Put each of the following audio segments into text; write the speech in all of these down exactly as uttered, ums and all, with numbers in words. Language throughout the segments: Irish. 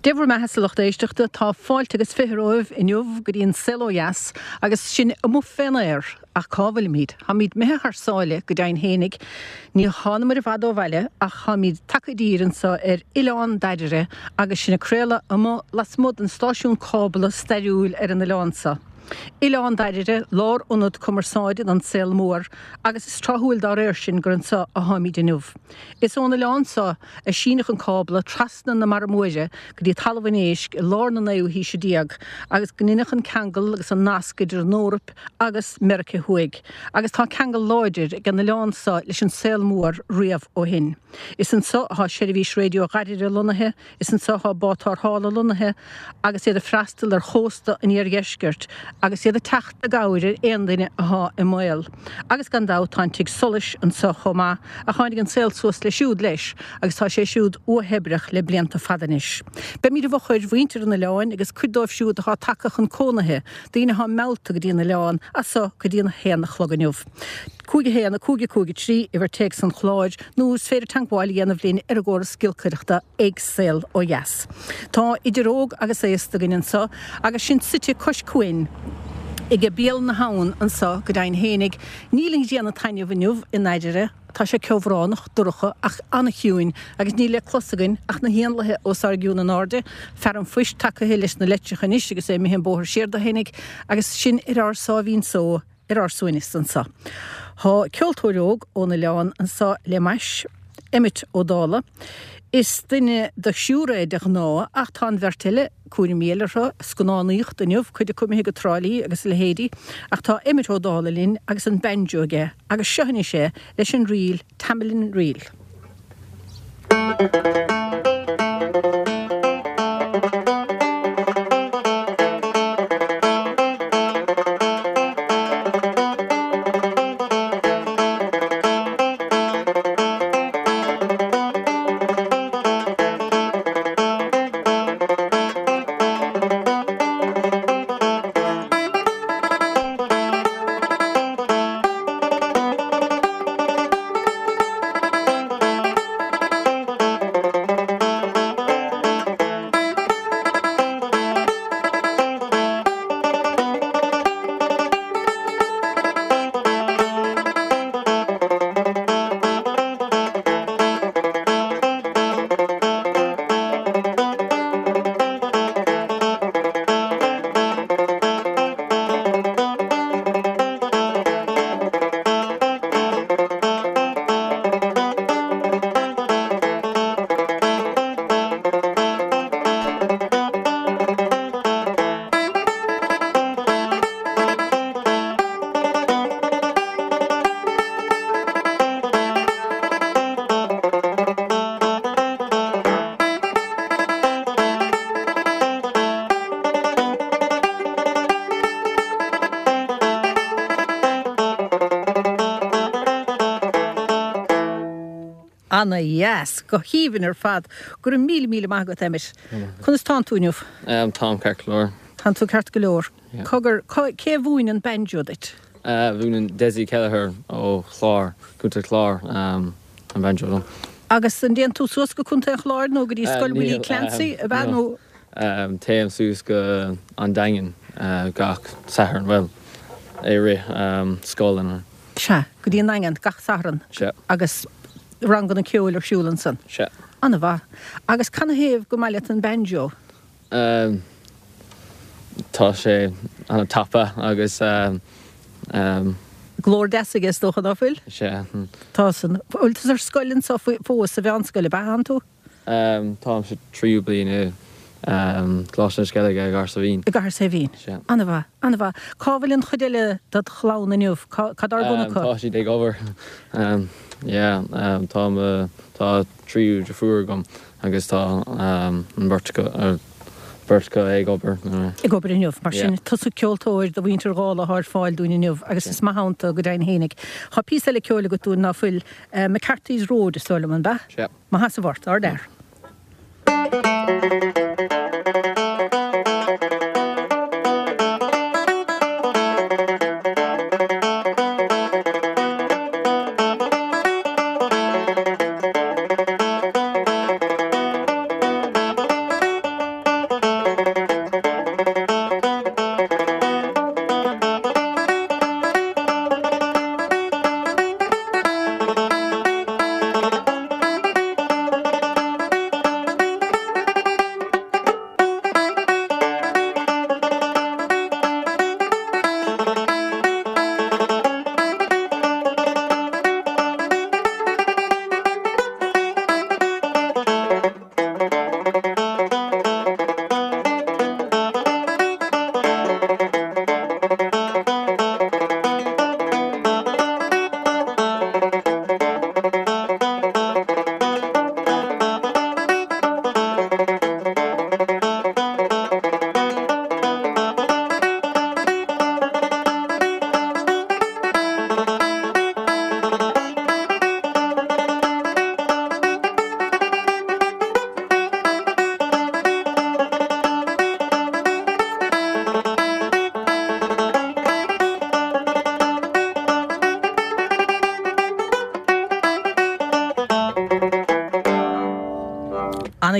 Dé bhur mbeatha a lucht éisteachta tá fáilte agus fiche romhaibh inniu go dtí an saol ó dheas agus sin amuigh fén aer ach cá bhfuilimid, Táimid imithe thar sáile go deimhin fhéinig, ní thánamar i bhfad ó bhaile ach táimid tagtha i dtír anseo ar Oileán Dairbhre agus sinn ag craoladh amuigh lasmuigh den stáisiún cábla stairiúil ar an oileán seo. Oileán Dairbhre lárionad cumarsáide don saol mór agus is tráthúil dá réir sin gur anseo atáimid inniu. Is ón oileán seo a síneadh an cábla trasna na Mara Móire go dtí Talamh an Éisc i lár na naoú haoise déag agus go ndeineadh an ceangal agus an nasc idir an Eoraip agus Meiriceá Thuaidh, agus tá ceangal láidir ag an oileán seo leis an saol mór riamh ó shin. Is anseo atá seirbhís raidió Dhairbhre lonnaithe, is anseo atá bád tarrthála lonnaithe agus iad ag freastal ar chósta an iardheiscirt agus iad ag teacht i gcabhair ar aon duine atá i mbaol. Agus gan dabht tá an tigh solais anseo chomh maith a tháinig an saol suas leis siúd leis agus tá sé siúd uathoibreach le blianta fada anois. Beimid i bhfochair mhuintir an oileáin agus cuid dóibh siúd atá tagtha chun cónaithe, daoine atá meallta go dtí an oileán as seo go dtí an haon a chlog inniu. Cúig a haon a cúig a cúig a trí uimhir téacs an chláir nó is féidir teagmháil a dhéanamh linn ar an gcóras giolcaireachta ag saol ó dheas. Tá idir óg agus aosta againn anseo agus sinn suite cois cuain ag béal na habhann anseo go deimhin fhéinig, níl an ghrian ag taitneamh inniu i nDairbhre, tá sé ceobhránach dorcha ach an-chiúin agus níl le clos againn ach na héanlaithe os ár gcionn in airde, fear an phoist tagaithe leis na leitreacha anois agus é imithe an bóthar siar dó fhéinig agus sinn ar ár sáimhín só ar ár suaimhneas anseo. Tá ceoltóir óg ón oileán anseo le m'ais, Emmet Ó Dálaigh. Is duine de thriúr é de ghnáth ach tá an bheirt eile cúraimí eile orthu, scannánaíocht inniu, cuid acu imithe go Trá Lí agus a leithéidí, ach tá Emmet Ó Dálaigh linn agus an banjo aige agus seo anois é leis an ríl Tamelin Reel. Ana-dheas, go haoibhinn ar fad. Go raibh míle míle maith agat, Emmet. Conas tánn tú inniu? Um, táim ceart go leor. Tánn tú ceart go leor. Yeah. Cogar, cé a mhúin an banjo duit? Uh, mhúin Desi Kelleher ó Chlár, Contae Chlár um, an banjo dom. Agus an dtéann tú suas go Contae an Chláir nó go dtí Uh, Scoil Willie níl, Clancy um, ab ea no. nó Um, téim suas go an Daingean uh, gach Satharn well i rith um, scoil an Sea, go dtí an Daingean gach Satharn Sea. agus ranganna ceoil ar siúl ansan. Sea. An-mhaith. Agus canathaobh gur maith leat an banjo? Um, tá sé an-tapa agus um, um, Glór deas aige is dócha ná fuil? Sea. Tá san bhfuil tú ar scoil anseo fós sa mheánscoil ab ea tú? Um, táim sa tríú bliain i um, Coláiste na Sceilge i gCathair Saidhbhín. I gCathair Saidhbhín. Sea. An-mhaith, an-mhaith. Cá bhfuil an chuid eile dod chlann inniu? Cad ar bun Um, acu? tá siad ag obair. Um, yeah, um, tá uh, tá triúr deirfiúr agam agus tá um, an bheirt acu uh, beirt acu ag obair. Uh, Ag obair inniu, mar sin Yeah. tusa ceoltóir do mhuintir Dhálaigh atá ar fáil dúinn inniu agus is maith ann go deimhin fhéinig. Tá píosa eile ceoil agat dúinn ná fuil uh, McCarthy's Road is dóigh liom an ea? Sea. Maith as a bhart, ard air.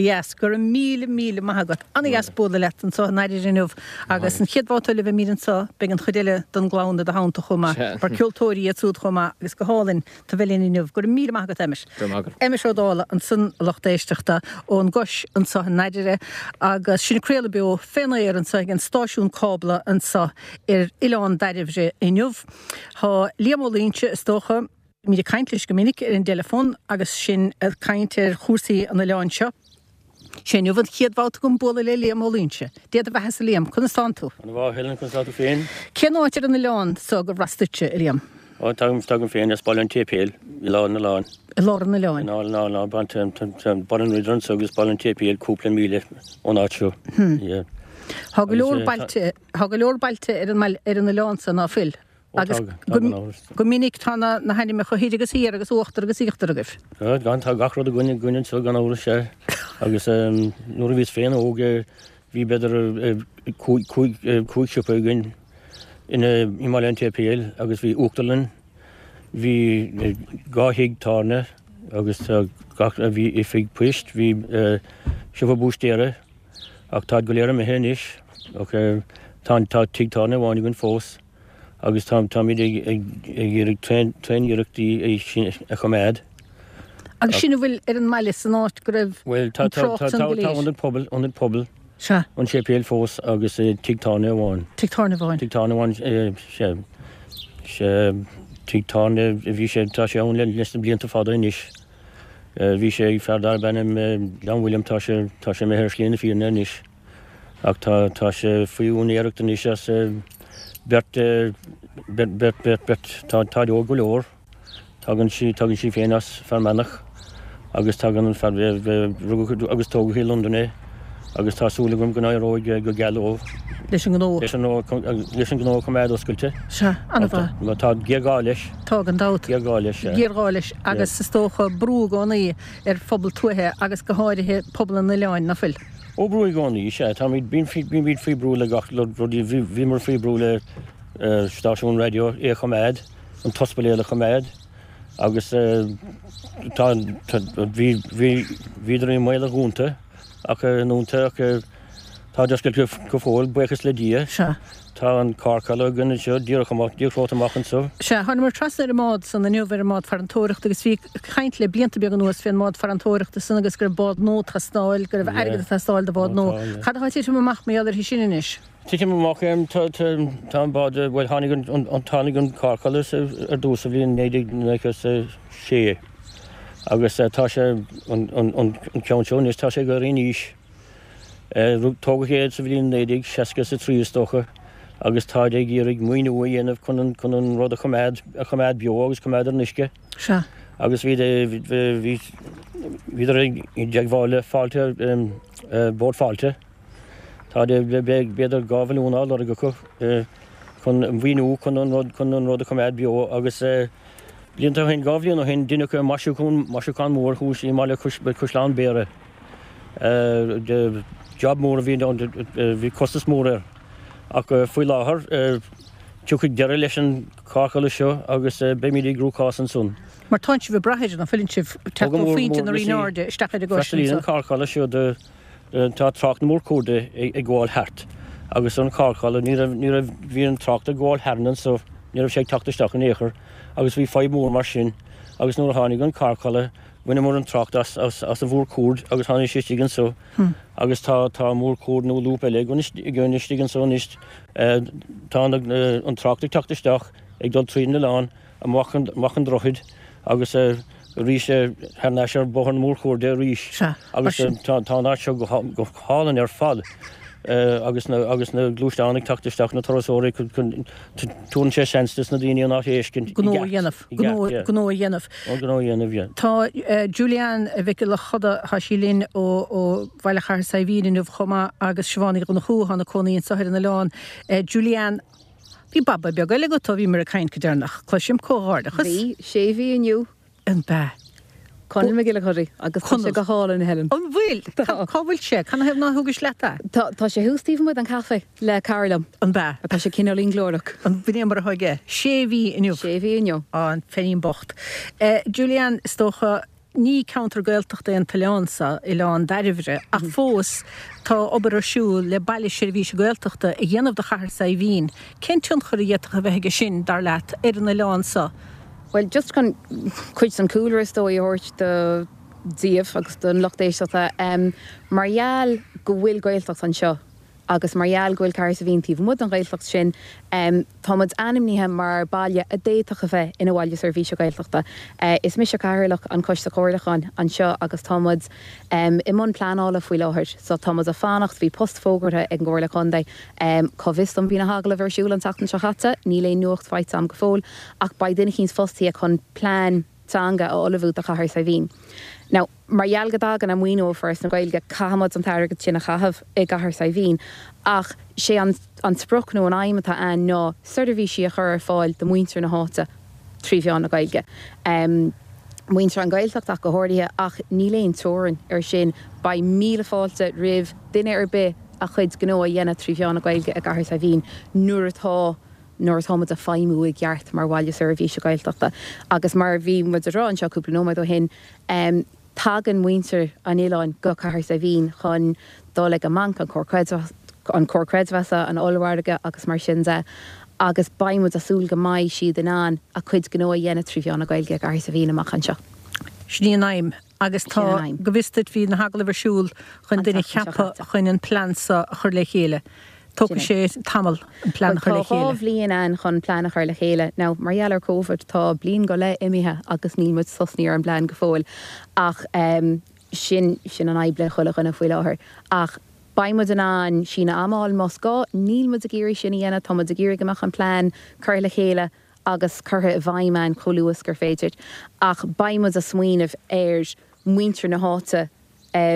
Ana-dheas, go raibh míle míle maith agat. Ana-dheas bualadh leat anseo in Airdrie inniu agus an chéad bhabhta eile a bheimid anseo beidh an chuid eile den gclann i do theannta chomh maith, mar ceoltóirí iad siúd chomh maith agus go hálainn tú bheith linn inniu. Go raibh míle maith agat Emmet. Go raibh maith agat. Emmet Ó Dálaigh ansan a lucht éisteachta ón gCois anseo in Airdrie agus sinn ag craoladh beo fén aer anseo ag an stáisiún cábla anseo ar Oileán Dairbhre inniu. Tá Liam Ó Loingsigh is dócha, Bímid ag caint leis go minic ar an dteileafón agus sinn ag caint ar chúrsaí an oileáin seo. Sé inniu an chéad bhabhta agam bualadh le Liam Ó Loingsigh. Dia do bheatha-sa Liam, conas tánn tú? Ana mhaith Helen, conas tá tú féin? Cén áit ar an oileán so gur as duitse, a Liam? Ó, tagaim, tagaim féin as Baile an tSéipéil, i lár an oileáin. I lár an oileáin? I lár an oileáin, tá Baile an Ridire anso agus Baile an tSéipéil cúpla míle ón áit seo. Hmm. Tá go leor bailte, tá go leor bailte ar an, ar an oileán so, ná fuil? Agus go minic tá na hainmneacha thoir agus thiar agus uachtar agus íochtar agaibh. Gan, tá gach rud againn againn anseo gan amhras, sea. Agus nuair a bhíos féin óg bhí b'fhéidir cúig cúig siopa againn i mBaile an tSéipéil agus bhí uachtarlann, bhí dhá thigh tábhairne agus gach, bhí oifig poist, bhí siopa búistéara ach táid go léir imithe anois ach tá tigh tábhairne amháin againn fós. agus táimid ag iarraidh tréan-iarracht í sin a choimeád. Agus sin a bhfuil ar an mbaile san áit go raibh an trácht san go léir? Bhuel, tá ionad pobail, ionad pobail an séipéil fós agus tigh tábhairne amháin. Tigh tábhairne amháin. Tigh tábhairne amháin, sea. Sea, tigh tábhairne, bhí sé, tá sé ann leis na blianta fada anois. Bhí sé ag fear darb ainm John William, tá sé, tá sé imithe ar shlí na fírinne anois. Ach tá, tá sé faoi úinéireacht anois as beirt, beirt, beirt, beirt, beirt, tá, táid óg go leor. Tagann sí, tagann sí féin as Fear Manach agus tagann an fear, rugadh agus tógadh i Londain é agus tá súil agam go n-éireoidh go geal leo. Leis an ngnó. Leis an ngnó, leis an ngnó a choimeád oscailte. Sea, an-mhaith. Mar tá géarghá leis. Tá gan dabht. Géarghá leis, sea. Géarghá leis agus is dócha brú i gcónaí ar phobal tuaithe agus go háirithe pobal an oileáin, ná fuil? Ó, brú i gcónaí, sea. Táimid, bímid faoi brú le gach rud, bhíomar faoi brú le stáisiún raidió é a choimeád, an t-ospidéal a choimeád agus tá, bhí, bhí, bhíodar i mbaol a dhúnta ach, a ndúnta ach táid oscailte go fóill, buíochas le Dia. Sea. Tá an carrcholladh againn anseo, díreach amach, díreach romhat amach anseo. Sea, thánamar trasna ar an mbád san inniu, ar an mbád farantóireachta agus bhí caint le blianta beaga anuas fén mbád farantóireachta san agus go raibh bád nua ag teastáil, go raibh airgead ag teastáil do bhád nua. Cad atá ag titim amach mar gheall uirthi sin anois? Titim amach, tá, tá, tá an bád, bhuel tháinig an, an, tháinig an carrcholladh ar dtús sa bhliain naoi déag nócha is a sé agus tá sé, an, an, an ceann seo anois, tá sé ag éirí in aois. Tógadh é sa bhliain naoi déag seasca is a trí is dócha agus táid ag iarraidh maoiniú a dhéanamh chun an chun an rud a choimeád a choimeád beo agus coimeád ar an uisce. Sea. Agus bhí bhí bhíodar i dteagmháil le Fáilte Bord Fáilte. Tá b'fhéidir dhá mhilliún á lorg acu chun maoiniú chun an rud chun an rud a choimeád beo agus blianta ó shin dhá bhliain ó shin deineadh maisiúchán maisiúchán mór thuas i mbaile Caisleán Bhéarra. Job mór a bhí ann, bhí costas mór air. Ach faoi láthair, tiocfaidh deireadh leis an charrcholladh seo agus beimid i gcruachás ansan. Mar tánn sibh ag brath air, ná fuileann sibh, teacht ó Phointe na Ríneairde isteach ar an gcois anseo. Freastalaíonn an carrcholladh seo do, tá trácht na mórchuairde ag gabháil thart agus an carrcholladh, ní raibh, ní raibh, bhí an trácht ag gabháil tharainn anso, ní raibh sé ag teacht isteach in aon chor agus bhí fadhb mhór mar sin agus nuair a tháinig an carrcholladh, Bhaineamar an trácht as an mhórchuaird agus tháinig sé istigh anso agus tá tá mórchuaird nó lúb eile againn istigh anso anois. Tá an trácht ag teacht isteach, ag dul tríd an oileán, amach amach an droichead agus arís thar n-ais ar bhóthar na mórchuairde arís. Agus tá tá an áit seo go go hálainn ar fad agus na agus na gluaisteáin ag teacht isteach, na turasóirí, tabharann sé seans dos na daoine an áit a fheiscint i Gnó a dhéanamh. gceart, Gnó a dhéanamh. Ó, gnó a dhéanamh, yeah. Tá Julianne Mhic Giolla Chuda, tá sí linn ó ó Bhaile Chathair Saidhbhín inniu chomh maith agus Siobhán Uí Dhonnchú atá ina cónaí anseo ar an oileán. Julianne, bhí baba beag eile agat ó bhíomar ag caint go deireanach. Cloisim comhghairdeachas. Bhí, sé mhí inniu. An b'ea? Conall McGillicuddy, agus tá sé go hálainn, a Helen. An bhfuil? Tá. Cá bhfuil sé? Canathaobh nár thugais leat é? Tá, tá sé thuas taobh amuigh den chaife le cara liom. An b'ea? Tá sé cineáilín glórach. An b'in é mar atá aige? Sé mhí inniu. Sé mhí inniu. Á, an peinín bocht. Julianne, is dócha, Ní ceantar Gaeltachta é an t-oileán seo, Oileán Dairbhre, ach fós tá obair ar siúl le Baile Seirbhíse Gaeltachta a dhéanamh de Chathair Saidhbhín. Cén tionchar a d'fhéadfadh a bheith aige sin, dar leat, ar an oileán seo? Bhuel, just chun cuid den chúlra is dóigh a thabhairt do daoibh agus don lucht éisteachta, mar gheall go bhfuil Gaeltacht anseo, Agus mar gheall go bhfuil Cathair Saidhbhín taobh amuigh den Ghaeltacht sin, tá muid ainmnithe mar baile a d'fhéadfadh a bheith ina Bhaile Seirbhíse Gaeltachta. Is mise Cathaoirleach an Choiste Comhairliúcháin anseo agus tá muid i mbun pleanála faoi láthair. So tá muid ag fanacht, bhí post fógartha ag an gComhairle Contae. Cá bhfios dom bhí na hagallaimh ar siúl an tseachtain seo chaite, níl aon nuacht faighte agam go fóill, ach beidh duine eicínt fostaithe chun plean teanga a ullmhú do Chathair Saidhbhín. Now, mar gheall go dtagann an maoiniú ó Foras na Gaeilge, caithfidh muid an t-airgead sin a chaitheamh i gCathair Saidhbhín ach sé an an sprioc nó an aidhm atá ann ná seirbhísí a chur ar fáil do mhuintir na háite trí mheán na Gaeilge. Muintir an Ghaeltacht ach go háirithe ach níl aon teorainn ar sin. Beidh míle fáilte roimh duine ar bith a chuid gnó a dhéanamh trí mheán na Gaeilge i gCathair Saidhbhín nuair atá nuair atá muid ag feidhmiú i gceart mar bhaile seirbhíse Gaeltachta. Agus mar a bhí muid ag rá anseo cúpla nóiméad ó shin, tagann muintir an oileáin go Cathair Saidhbhín chun dul ag an mbanc, an comhar creidmheasa, an ollmhargadh agus mar sin de agus beidh muid ag súil go mbeidh siad in ann a gcuid gnó a dhéanamh trí mheán na Gaeilge i gCathair Saidhbhín amach anseo. Sin í an aidhm. Agus tá, go bhfios duit, bhí na hagallaimh ar siúl chun duine a cheapadh chun an plean seo a chur le chéile. Tógfaidh sé tamall an plean a chur le chéile. Tá dhá bhliain ann chun plean a chur le chéile. Now, mar gheall ar Covid, tá bliain go leith imithe agus níl muid tosnaithe ar an bplean go fóill. Ach sin, sin an fhadhb le chuile dhuine faoi láthair. Ach beidh muid in ann síneadh ama a fháil más gá. Níl muid ag iarraidh sin a dhéanamh. Tá muid ag iarraidh go mbeadh an plean curtha le chéile agus curtha i bhfeidhm ann chomh luath is gur féidir. Ach beidh muid ag smaoineamh ar mhuintir na háite,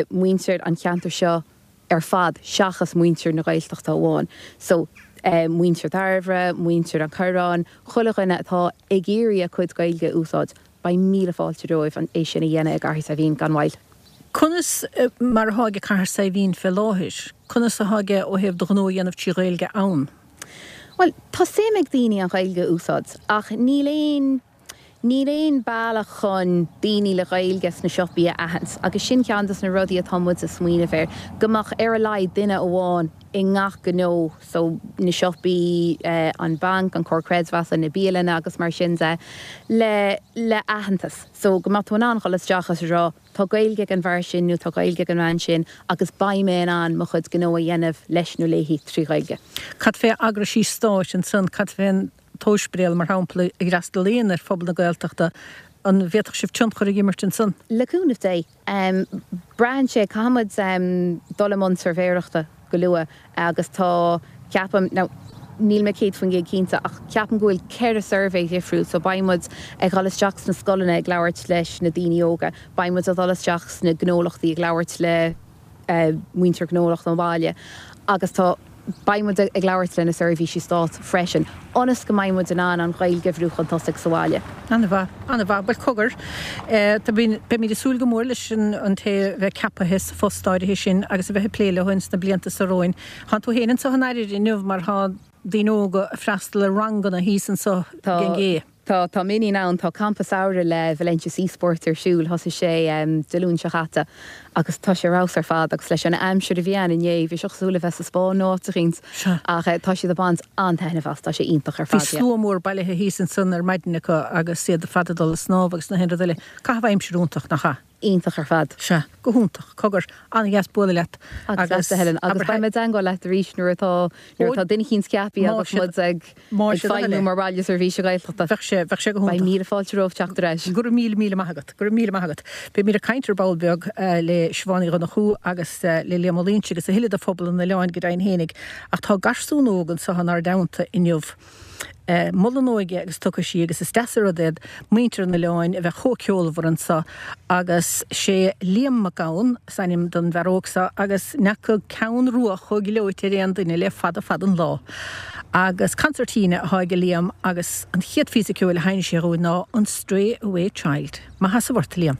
muintir an cheantair seo, ar fad seachas muintir na Gaeltachta amháin. So, muintir Dhairbhre, muintir an Choireáin, chuile dhuine atá ag iarraidh a cuid Gaeilge a úsáid, beidh míle fáilte romhaibh é sin a dhéanamh i gCathair Saidhbhín gan mhoill. Conas mar atá aige Cathair Saidhbhín fé láthair? Conas atá aige ó thaobh do ghnó a dhéanamh trí Ghaeilge ann? Bhuel, tá suim ag daoine an Ghaeilge a úsáid ach níl aon Níl aon bealach chun daoine le Gaeilge sna siopaí a aithint agus sin ceann de na rudaí atá muid ag smaoineamh air, go mbeadh ar a laghad duine amháin i ngach gnó, so na siopaí, an banc, an comhar creidmheasa, na bialanna agus mar sin de, le le aitheantas. So go mbeadh tú in ann dhul isteach agus a rá tá Gaeilge ag an bhfear sin nó tá Gaeilge ag an bhean sin agus beidh mé in ann mo chuid gnó a dhéanamh leis nó léi trí Ghaeilge. Cad fé eagraisí stáit ansan, cad fén t-ospidéal, mar shampla, a fhreastalaíonn ar phobal na Gaeltachta, an bhféadfadh sibh tionchar a imirt ansan? Le cúnamh Dé. Braitheann sé, caithfidh muid dul i mbun suirbhéireachta go luath agus tá, ceapaim, now níl mé céad faoin gcéad cinnte ach ceapaim go bhfuil ceithre suirbhé dhifriúil so beidh muid ag dhul isteach sna scoileanna ag labhairt leis na daoine óga, beidh muid ag dul isteach sna gnólachtaí ag labhairt le muintir gnólacht an bhaile agus tá beidh muid ag labhairt le na seirbhísí stáit freisin ionas go mbeidh muid in ann an Ghaeilge a bhrú chun tosaigh sa bhaile. An-mhaith, an-mhaith. Bhuel, cogar, beimid ag súil go mór leis an té a bheidh ceapaithe sa phost áirithe sin agus a bheith ag plé leo ins na blianta seo romhainn. Tánn tú féin anseo in Airire inniu mar tá daoine óga ag freastal ar ranganna thíos anseo ag an gcé. Tá, tá m'iníon ann, tá campa samhraidh le Valentia Seasports ar siúl, thosaigh sé Dé Luain seo chaite agus tá sé ar fheabhas ar fad agus leis an aimsir a bhí ann inné, bhí sé cosúil le bheith sa Spáinn nó áit eicínt ach tá siad ag baint an-taitneamh as, tá sé iontach ar Bhí fad, yeah. slua mór bailithe thíos ansan ar maidin acu agus iad ar fad ag dul ag snámh agus na haon rud eile. Caitheamh aimsire iontach, nach ea? Iontach ar fad. Sea, go hiontach. Cogar, an-dheas bualadh leat Agus agus leatsa, Helen. Agus abair beidh mé i dteangmháil leat arís nuair atá, nuair atá duine eicínt ceapaithe Más agus siad, muid ag, más ag siad a feidhmiú thoil é. mar Bhaile Seirbhíse Gaeltachta. Bheadh sé, bheadh sé go Beidh hiontach. míle fáilte romhat teacht ar ais. Go raibh míle, míle maith agat. Go raibh míle maith agat. Beimid ag caint ar ball beag le Siobhán Uí Dhonnchú agus le Liam Ó Loingsigh agus a thuilleadh de phobal an oileáin go deimhin fhéinig. Ach tá garsún óg anseo inár dteannta inniu. Mol an óige agus tiocfaidh sí agus is deas an rud é muintir an oileáin a bheith chomh ceolmhar anso agus sé Liam Mac Gabhann is ainm don bhfear óg seo agus n'fheaca ceann rua chomh gleoite ar aon duine le fada fada an lá. Agus consairtín atá aige Liam agus an chéad phíosa ceoil a sheinneas sé dhúinn ná an Stray Away Child. Maith as ort, a Liam.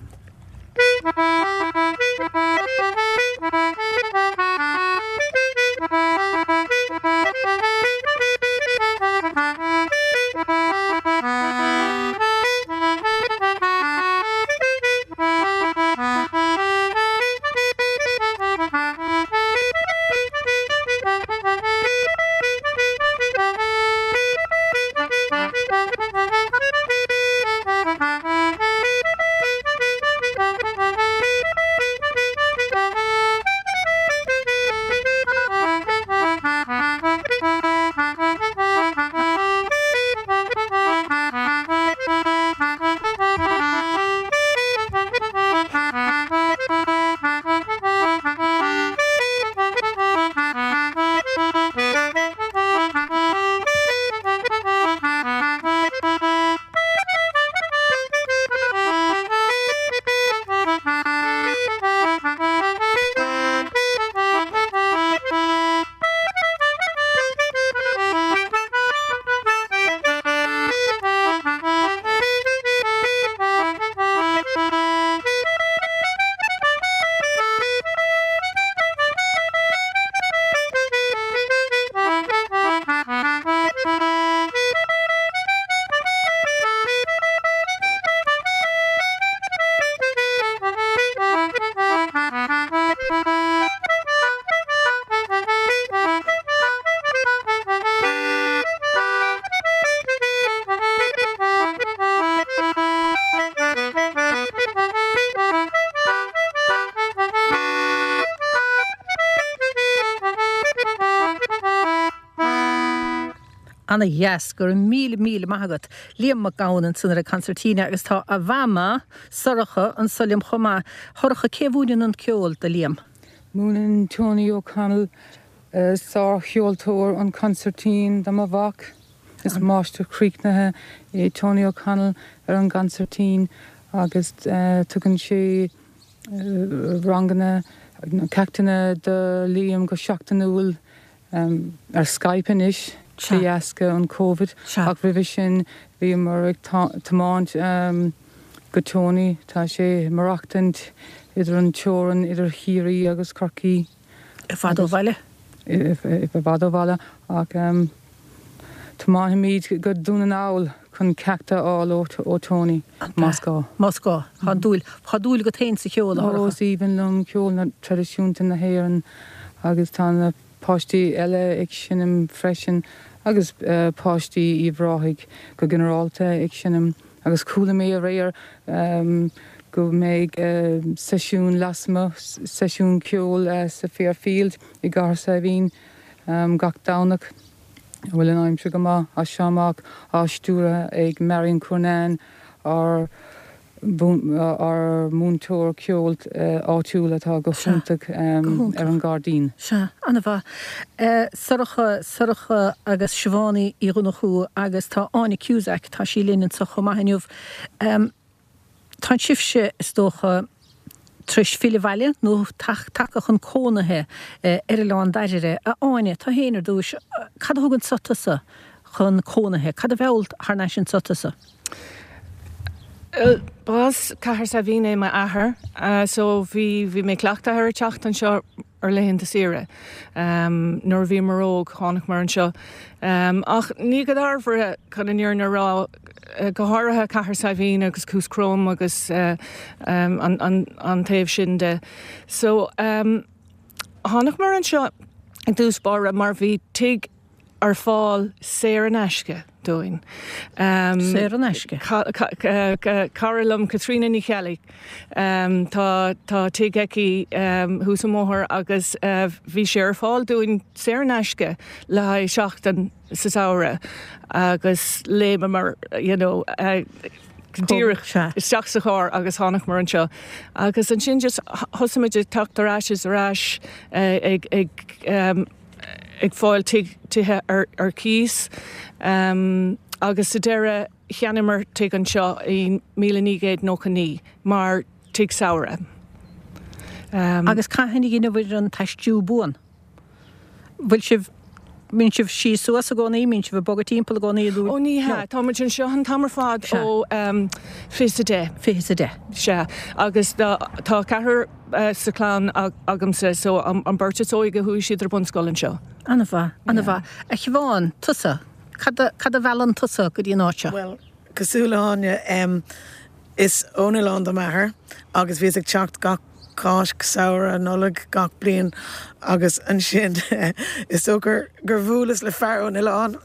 Ana-dheas, go raibh míle míle maith agat. Liam Mac Gabhann ansan ar an concertina agus tá a mhama, Sorcha, anso liom chomh maith. Shorcha, cé a mhúineann an ceol do Liam? Múineann Tony O'Connell, sárcheoltóir, an consairtín do mo mhac. Is máistir críochnaithe é Tony O'Connell ar an gconsairtín agus tugann sé ranganna, ceachtanna do Liam go seachtainiúil. Ar Skype anois de dheasca an Covid ach roimhe sin bhíomar ag tiomáint go Tony. Tá sé ag maireachtaint idir an teorainn idir Chiarraí agus Corcaigh. I bhfad ó bhaile? I bhfad ó bhaile ach tiomáinimid go Dún na nGall chun ceacht a fháil ó Tony, más gá. Más gá. Tá dúil, tá dúil agat féin sa cheol, a Shorcha? Ó, is aoibhinn liom ceol traidisiúnta na hÉireann agus tá na páistí eile ag seinm freisin agus páistí Uíbh Ráthaigh go ginearálta ag seinm agus chuala mé aréir go mbeidh seisiún lasmuigh, seisiún ceoil sa Fairfield i gCathair Saidhbhín gach Domhnach, a bhfuil an aimsir go maith, as seo amach, á stiúradh ag Marion Cournane, ár ár múinteoir ceoil áitiúil atá go hiontach ar an gcairdín. Sea, an-mhaith. Sorcha, Sorcha agus Siobhán Uí Dhonnchú agus tá Áine Cusack, tá sí linn anseo chomh maith inniu. Tá sibhse, is dócha, tar éis filleadh abhaile nó tagtha chun cónaithe ar Oileán Dairbhre. A Áine, tú féin ar dtús, cad a thug anso tusa chun cónaithe? Cad a mheall thar n-ais anso tusa? B'as Cathair Saidhbhín é m'athair so bhí bhí mé cleachtaithe ar teacht anseo ar laethanta saoire. Nuair a bhíomar óg tháinig anseo. Ach ní go Dairbhre chun an fhírinne a rá, go háirithe Cathair Saidhbhín agus Cuas Crom agus an an taobh sin de. So tháinig anseo i dtús báire mar bhí tigh ar fáil saor in aisce dúinn. Saor in aisce? Cara liom Caitríona Ní Cheallaigh. Tá tá tigh aici thuas an bóthar agus bhí sé ar fáil dúinn saor in aisce le haghaidh seachtain sa samhradh agus léimeamar you know díreach isteach sa charr agus tháinig anseo. Agus ansin just thosaigh muid ag teacht ar ais is ar ais ag ag ag fáil tithe ar ar cíos agus sa deireadh cheannaíomar tigh anseo i míle naoi gcéad nócha naoi mar tigh samhraidh. Agus cathain a dheineabhair an t-aistriú buan? Bhfuil sibh, mbíonn sibh síos suas i gcónaí, mbíonn sibh ag bogadh timpeall i gcónaí nó? Ó ní hea, tá muid anseo an t-am ar fad ó fiche is a deich. Fiche is a deich. Sea, agus tá ceathrar sa chlann agamsa so an bheirt is óige chuaigh siad ar bunscoil anseo. An-mhaith, an-mhaith. A Shiobhán, tusa, cad a, cad a mheallann tusa go dtí an áit seo? Bhuel, cosúil le hÁine, em, is ón oileán do m'athair agus bhíos ag teacht gach Cáisc, Samhradh, Nollaig gach bliain agus ansin is dócha gur, gur bhuaileas le fear ón oileán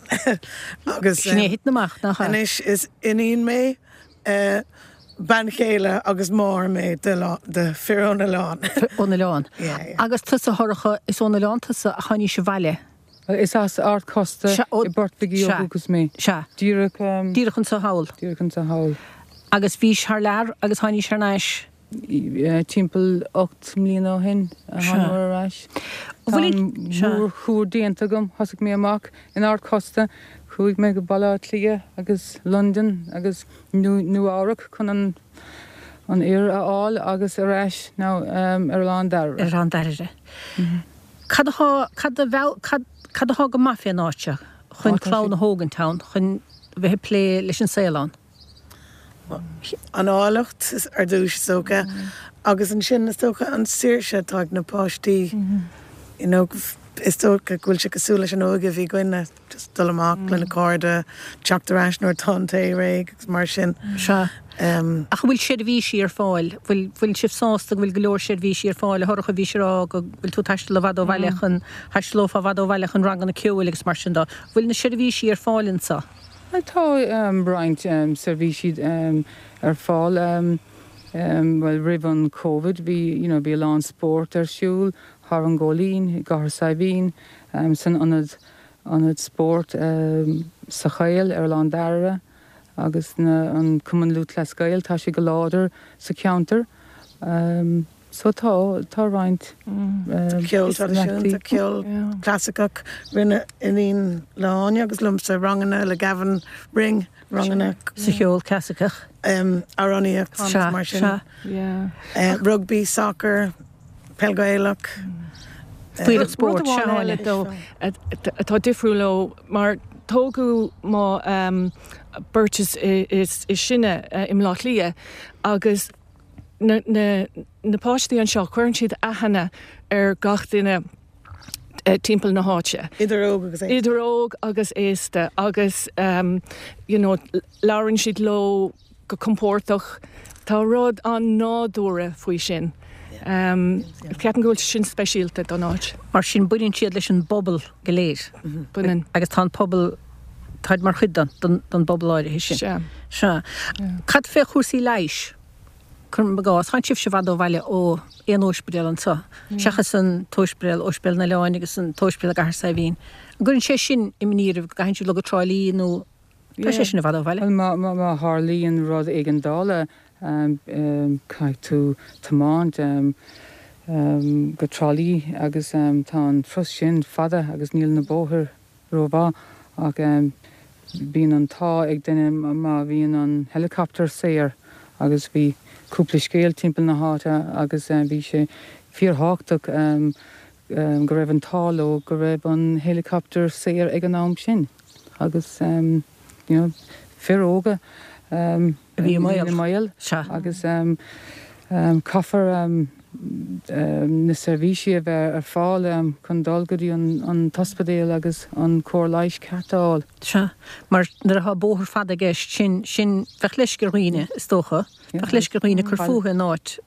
agus Sin é a thiteann amach, nach ea? anois is iníon mé, eh, bean chéile agus máthair mé de fir ón oileán. Ón oileán. Yeah, yeah. Agus tusa, a Shorcha, is ón oileán tusa ach tháinís abhaile. Is as Ard Chosta Sea, ó, i bPort Bhig ó sea, dhúchas mé. sea. Díreach, Díreach anso thall. Díreach anso thall. Agus bhís thar lear agus tháinís thar n-ais. Timpeall ocht mbliana ó shin a thánamar ar ais. Tá an mórthúr déanta agam. Thosaigh mé amach in Ard Chosta, chuaigh mé go Baile Átha Cliath agus Londain agus Nua Eabhrac chun an an fhear a fháil agus ar ais now ar Oileán Dairbhre. Ar Oileán Dairbhre. Cad atá, cad a mheall, cad, cad atá go maith fén áit seo chun clann a thógaint ann, chun bheith ag plé leis an saol ann? An áilleacht ar dtús is dócha agus ansin is dócha an saoirse atá ag na páistí. You know, is dócha go bhfuil sé cosúil leis an óige a bhí againne, just dul amach le na cairde, teacht ar ais nuair atá an tae réidh agus mar sin. Sea. Ach an bhfuil seirbhísí ar fáil? Bhfuil, bhfuil sibh sásta go bhfuil go leor seirbhísí ar fáil? A Shorcha, bhís ag rá go bhfuil tú ag taisteal i bhfad ó bhaile chun, thaistealófá i bhfad ó bhaile chun ranganna ceoil agus mar sin de. Bhfuil na seirbhísí ar fáil anso? Tá roinnt seirbhísí ar fáil. Bhuel, roimh an Covid bhí, you know, bhí a lán spórt ar siúl thar an Góilín, i gCathair Saidhbhín, san ionad ionad spóirt sa Choill ar Oileán Dairbhre agus na, an Cumann Lúthchleas Gael, tá sé go láidir sa cheantar. So tá, tá roinnt Ceol traidisiúnta, ceol clasaiceach, rinne iníon le hÁine agus liomsa ranganna le Gavin Ring, ranganna Sa cheol clasaiceach. Amhránaíocht mar sin. Rugby, soccer, peil Gaelach. Fuílleach spóirt, Rud amháin eile dó atá difriúil ó mar tógadh mo beirt is is sine i mBleá Cliath agus na na na páistí anseo cuireann siad aithne ar gach duine timpeall na háite. Idir óg agus aosta. Idir óg agus aosta agus um, you know, labhrann siad leo go compordach. Tá rud an-nádúrtha faoi sin. Um, Ceapaim go bhfuil sin speisialta don áit. Mar sin baineann siad leis an bpobal go léir. Baineann. Agus tá an pobal táid mar chuid den den bpobal áirithe sin. Sea. Sea. Cad fé chúrsaí leighis? Cuirim i gcás, tánn sibhse i bhfad ó bhaile ó aon ospidéal anseo, seachas an t-ospidéal, Ospidéal na Oileáin agus an t-ospidéal i gCathair Saidhbhín. An gcuireann sé sin imní oraibh go gcaitheann sibh dul go Trá Lí nó tá sé sin i bhfad ó bhaile? Bhuel, má, má, má tharlaíonn rud éigeandála, caithfidh tú tiomáint go Trá Lí agus tá an turas sin fada agus níl na bóithre rómhaith ach bíonn an t-ádh ag duine má bhíonn an helicopter saor agus bhí cúpla scéal timpeall na háite agus bhí sé fíorthábhachtach go raibh an t-ádh leo go raibh an helicopter saor ag an am sin agus you know fir óga a bhí i mbaol agus caithfear na seirbhísí a bheith ar fáil chun dul go dtí an t-ospidéal agus an cóir leighis ceart a fháil. Sea, mar nuair atá bóthar fada i gceist, sin, sin, bheadh leisce ar dhaoine, is dócha, bheadh leisce ar dhaoine cur fúthu in áit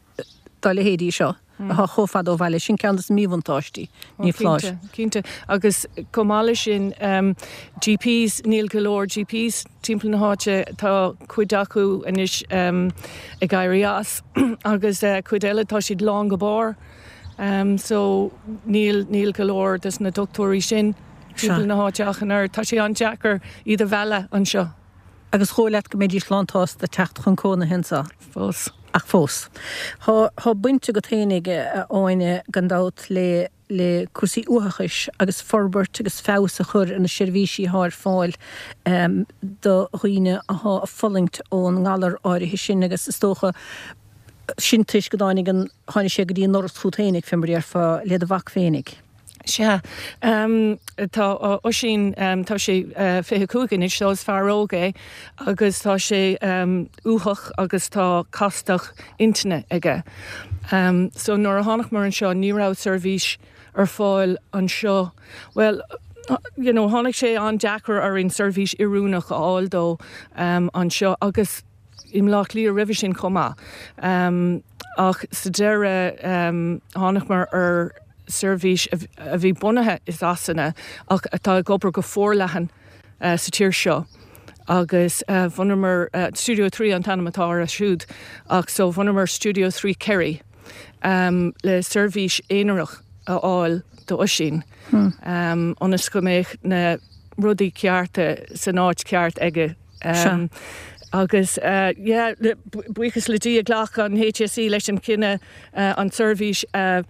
dá leithéidí seo, atá chomh fada ó bhaile. Sin ceann de na míbhuntáistí, ní foláir. Cinnte, cinnte. Agus chomh maith leis sin, GPs, níl go leor GPs timpeall na háite, tá cuid acu anois ag éirí as agus cuid eile tá siad lán go barr. So níl, níl go leor des na dochtúirí sin timpeall na háite ach an oiread. Tá sé an-deacair iad a mhealladh anseo. Agus dhóigh leat go mbeidís lánsásta teacht chun cónaithe anseo? Fós. Ach fós. Tá baint agat fhéinig, a Áine, gan dabht, le le cúrsaí uathachais agus forbairt agus feabhas a chur ar na seirbhísí atá ar fáil do dhaoine atá ag fulaingt ón ngalar áirithe sin agus is dócha sin toisc go dtáinig an, tháinig sé go dtí an ndoras chút fhéinig, fé mar a déarfá, le do mhac féinig. Sea. Tá Oisín, tá sé fiche cúig anois, so is fear óg é agus tá sé uathach agus tá castacht intinne aige. So nuair a thángamar anseo ní raibh seirbhís ar fáil anseo. Bhuel, you know, tháinig sé an-deacair orainn seirbhís oiriúnach a fháil dó anseo agus i mBleá Cliath roimhe sin chomh maith. Ach sa deireadh thángamar ar seirbhís a bhí bunaithe i Sasana ach atá ag obair go forleathan sa tír seo agus bhunamar, Studio Three an t-ainm atá orthu siúd, ach so bhunamar Studio Three Kerry le seirbhís aonarach a fháil d'Oisín ionas go mbeadh na rudaí cearta san áit ceart aige. Agus yeah, buíochas le Dia ghlac an HSE leis an cinneadh an tseirbhís a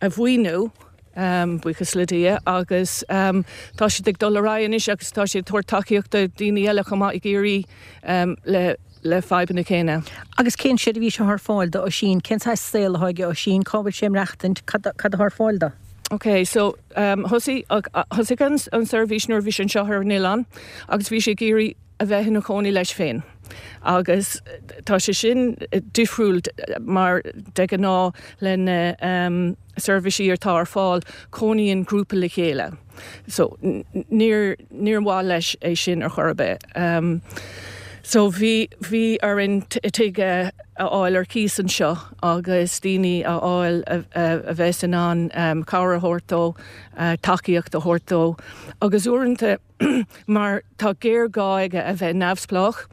a mhaoiniú, buíochas le Dia, agus tá siad ag dul ar aghaidh anois agus tá siad ag tabhairt tacaíocht do daoine eile chomh maith i gCiarraí le le fadhbanna céanna. Agus cén seirbhís atá ar fáil do Oisín? Cén saghas saol atá ag Oisín? Cá bhfuil sé ag maireachtaint? Cad atá ar fáil dó? Ok, so thosaigh thosaigh an an seirbhís nuair a bhí sé anseo ar an oileán agus bhí sé ag iarraidh a bheith ina chónaí leis féin. Agus tá sé sin difriúil mar de ghnáth le na seirbhísí atá ar fáil, cónaíonn grúpa le chéile. So níor níor mhaith leis é sin ar chor ar bith. So bhí bhí orainn tigh a fháil ar cíos anseo agus daoine a fháil a bheas in ann cabhair a thabhairt dó, tacaíocht a thabhairt dó. Agus uaireanta mar tá géarghá aige a bheith neamhspleách,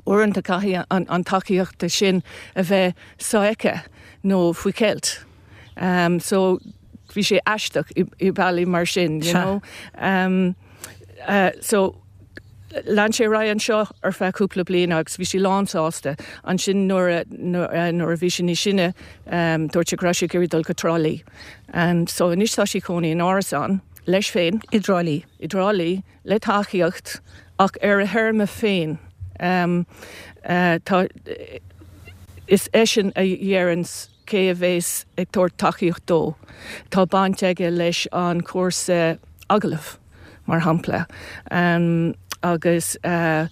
uaireanta caithfidh an tacaíocht sin a bheith sofheicthe nó faoi cheilt. So bhí sé aisteach i bealaí mar sin, you know. Uh, so lean sé ar aghaidh anseo ar feadh cúpla bliain agus bhí sí lánsásta ansin nuair nuair a bhí sí níos sine um, dúirt sé go raibh sí ag iarraidh dul go Trá Lí. And so anois tá sí ina cónaí in árasán leis féin I dTrá Lí. I dTrá Lí le tacaíocht ach ar a théarma féin. Um, uh, tá, is eisean a dheireann cé a bheas ag tabhairt tacaíocht dó. Tá baint aige leis an cúrsa agallamh mar shampla. Um, agus uh,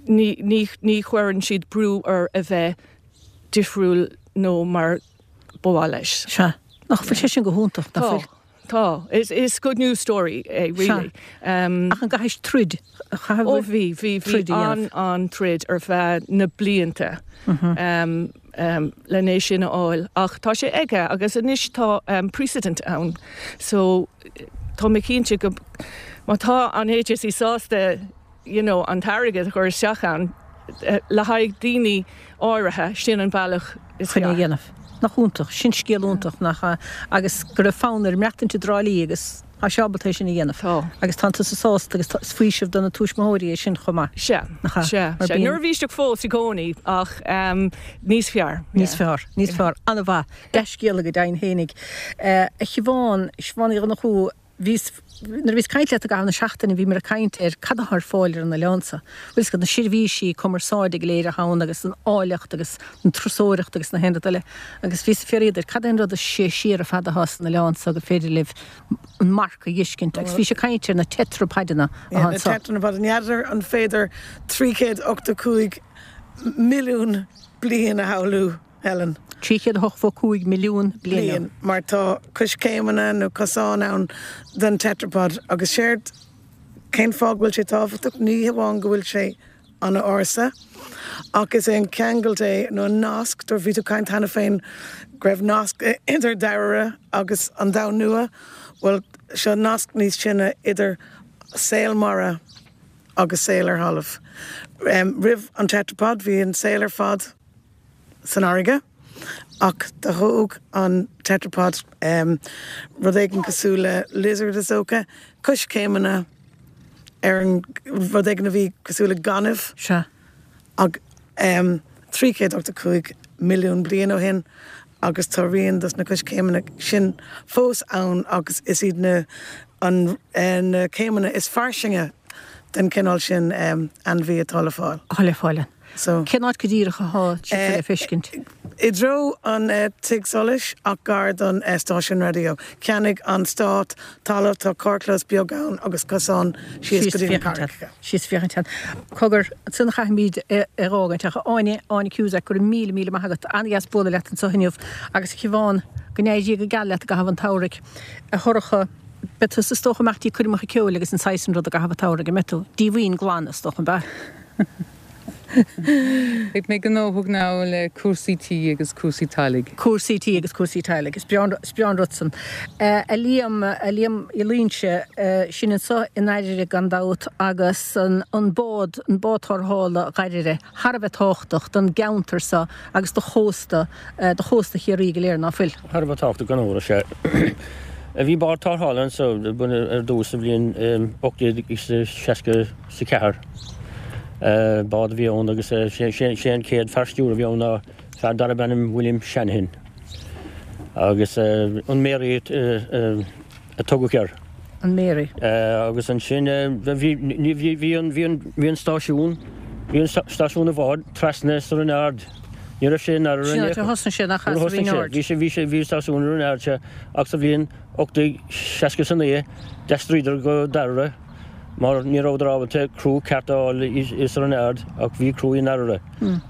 ní, ní, ní chuireann siad brú air a bheith difriúil nó mar ba mhaith leis. Sea. Nach bhfuil sé sin go hiontach Tá. Tá is is good news story é really. Um, Ach an gcaithfidh troid Ó bhí bhí bhí an an troid ar feadh na blianta um, um, lena sin a fháil ach tá sé aige agus anois tá um, precedent ann so tá mé cinnte go má tá an HSE sásta you know, an t-airgead a chur isteach ann eh, le haghaidh daoine áirithe sin an bealach is chun é fearr. dhéanamh. Nach iontach, sin scéal iontach nach ea, agus go raibh fonn air maireachtaint i dTrá Lí agus tá sé ábalta é sin a dhéanamh. Tá. Agus tá tusa sásta agus is faoiseamh do na tuismitheoirí é sin chomh maith. Sea, Nach ea? sea, Mar sea. bíonn- Neirbhíseach fós i gcónaí ach um, níos fearr. Níos yeah. fearr, níos fearr, an-mhaith, dea-scéala go deimhin fhéinig. Eh, a Shiobhán, Siobhán Uí Dhonnchú, bhíos nuair a bhíos ag caint leat i gcaitheamh na seachtaine bhí mé ag caint ar cad atá ar fáil ar an oileán seo. Bhfuil fhios agat na seirbhísí cumarsáide go léir atá ann agus an áilleacht agus an turasóireacht agus na haon rud eile. Agus bhíos ag fiafraí díot cad é an rud is sia siar ar fad atá san oileán seo go féidir libh an marc a fheiscint agus bhí sé caint ar na tetrapodanna Yeah, atá na anseo. tetrapod n'fheadar an féidir trí chéad ochtó cúig milliún bliain a shamhlú Helen. Trí chéad ochtó cúig milliún bliain. bliain mar tá coiscéimeanna nó cosán ann den tetrapod agus séard cén fáth bhfuil sé tábhachtach ní hamháin go bhfuil sé an-ársa ach is é an ceangal é nó an nasc dur bhí tú caint cheana féin go raibh nasc idir Dairbhre agus an domhan nua, well seo nasc níos sine idir saol mara agus saol ar thalamh. Um, roimh an tetrapod bhí an saol ar fad san fharraige ach do thóg an tetrapod um, rud éigin cosúil le lizard is dócha, coiscéimeanna ar an rud éigin a bhí cosúil le gaineamh Sea. ag um, trí chéad ochtó cúig milliún bliain ó shin agus tá rian dos na coiscéimeanna sin fós ann agus is iad na an eh, na céimeanna is fairsinge den cineál sin um, ainmhí atá le fáil. Atá le fáil. So Cén áit go díreach atá sé le feiscint. I dtreo an uh, tigh solais ach gar don uh, stáisiún raidió. Cheannaigh an stát talamh tá carrchlós beag ann agus cosán síos go dtí na carraigeacha. Síos féachaint. Cogar san chaithfimid a fhágaint ach Áine Áine Cusack go raibh míle míle maith agat an-deas bualadh leat anseo inniu agus Siobhán go n-éirí go geal leat i gcaitheamh an tsamhraidh a Shorcha beidh tú is dócha amach dtí coirmeacha ceoil agus an saghas sin rud i gcaitheamh an tsamhraidh an mbeidh tú díomhaoin glan is dócha an bea. Beidh mé gnóthach ná le cúrsaí tí agus cúrsaí teaghlaigh. Cúrsaí tí agus cúrsaí teaghlaigh is breá an rud san. A Liam a Liam Uí Loingsigh sin anseo i nDairire gan dabht agus an an bád an bád tarrthála Dhairbhre thar a bheith tábhachtach don gceantar seo agus do chósta do chósta Chiarraí go léir nach bhfuil. Thar a bheith tábhachtach gan amhras sé. Bhí bád tarrthála anseo ar dtús sa bhliain ocht déag seasca sa ceathair. Bád a bhí ann agus sé an chéad fear stiúir a bhí ann ná fear darb ainm William Shanahan. Agus an Mary a tugadh air. An Mary. Agus ansin bhí bhí an stáisiún, bhí an stáisiún a bhád trasna sa Rinn Ard. Ní raibh sé in Sin áit a thosnaigh sé nach as Rinn Ard. Bhí sé bhí sé bhí stáisiún Rinn Ard sé ach sa bhliain ocht déag seasca is a naoi d'aistríodar go Dairbhre mar ní rabhadar ábalta criú ceart a fháil i sa Rinn Ard ach bhí criú i nDairbhre